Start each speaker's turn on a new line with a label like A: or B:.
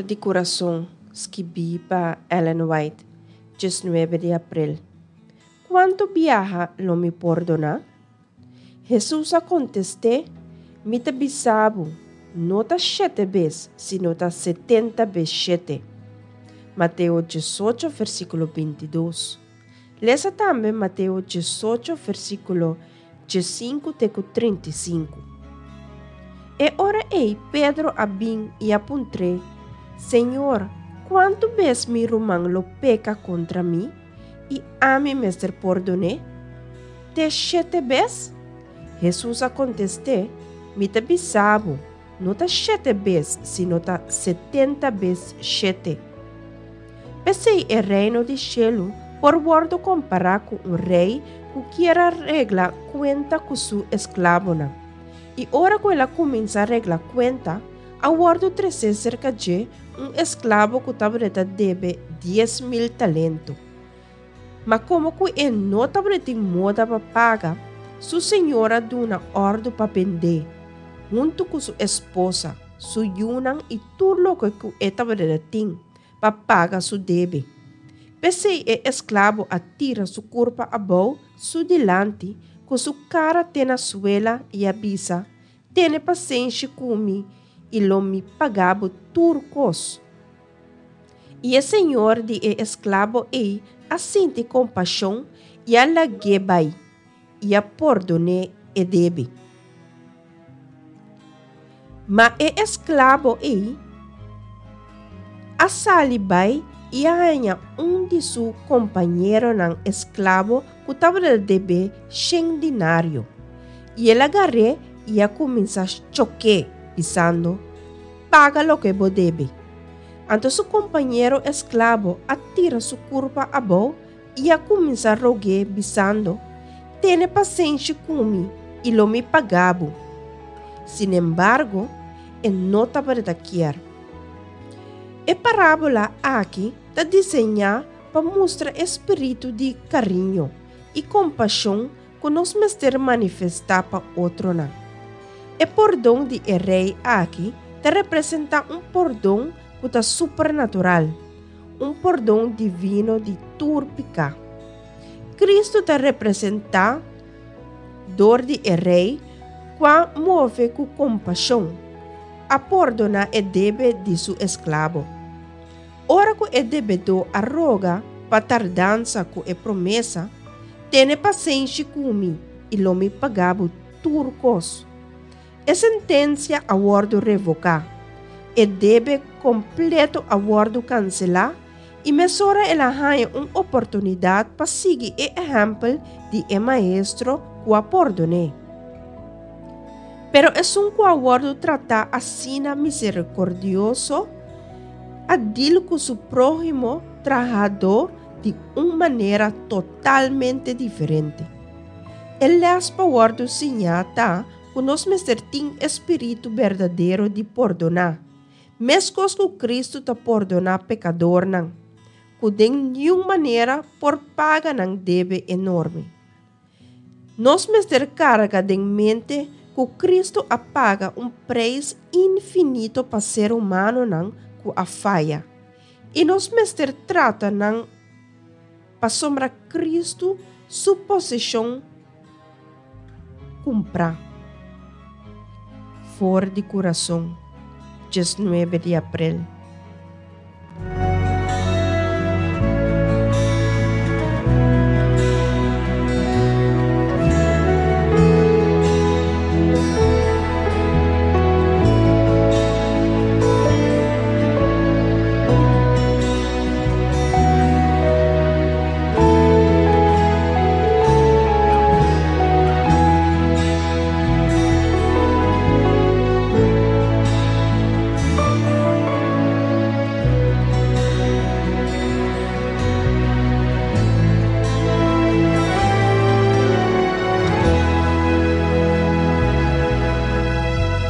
A: di Kurason, skibí pa Ellen White, 19 di aprel. Kuantu biaha lo mi pordoná? Hesus a kontest'é, Mi ta bisa bo, no ta shete bes, sino ta setenta bes shete. Mateo 18, versíkulo 22. Lesa tambe Mateo 18, versíkulo 15 te ku 35. E ora ei Pedro a bin i a puntr'é, Señor, kuantu bes mi ruman lo peka kontra mi i ami mester pordon'é? Te shete bes? Hesus a kontest'é, Mi ta bisa bo, no ta shete bes, sino ta 70 bes shete. P'esei e Reino di shelu por wòrdu kompará ku un rei ku kier a regla kuenta ku su esklabonan. I ora ku el a kuminsá regla kuenta, a wòrdu tresé serka dje un esklabo ku tabata debe 10,000 talento. Ma komo ku e no tabatin moda pa paga, su señor a duna òrdu pa bend'é, huntu ku su esposa, su yunan i tur loke ku e tabata tin, pa paga su debe. P'esei e esklabo a tira su kurpa abou su dilanti ku su kara te na suela i a bisa, Tene pasenshi ku mi i lo mi paga bo tur kos. I e señor di e esklabo ei a sinti kompashon i a lag'é bai i a pordon'é e debe. Ma e esklabo ei a sali bai i a haña un di su kompañeronan esklabo ku tabata deb'é shen dinario. I el a gar'é i a kuminsá chok'é, bisando, Paga loke bo debe. Anto su kompañero esklabo a tira su kurpa abou i a kuminsá rog'é, bisando, Tene pasenshi ku mi, i lo mi paga bo. Sinembargo, e no tabata kier. E parábola aki ta diseñá pa mustra e spiritu di kariño i kompashon ku nos mester manifestá pa otronan. E pordon di e rei aki ta representá un pordon ku ta supernatural, un pordon divino di tur piká. Kristu ta representá dor di e rei ku a move ku kompashon, a pordoná e debe di su esklabo. Ora ku e debedó a roga pa tardansa ku e promesa, Tene pasenshi ku mi i lo mi paga bo tur kos. E sentensia a wòrdu revoká, e debe kompleto a wòrdu kanselá i mesora el a haña un oportunidat pa sigui e ehèmpel di e maestro ku a pordon'é. Pero esun ku a wòrdu tratá asina miserikordioso a dil ku su próhimo trahadó di un manera totalmente diferente. E lès pa wòrdu siñá ta ku nos mester tin e spiritu berdadero di pordoná, meskos ku Kristu ta pordoná pekadornan, ku den niun manera por paga nan debe enorme. Nos mester karga den mente ku Kristu a paga un preis infinito pa ser humanonan ku a faya, i nos mester trata nan pasobra Kristu su poseshon kumprá. For di kurason, 19 di aprel.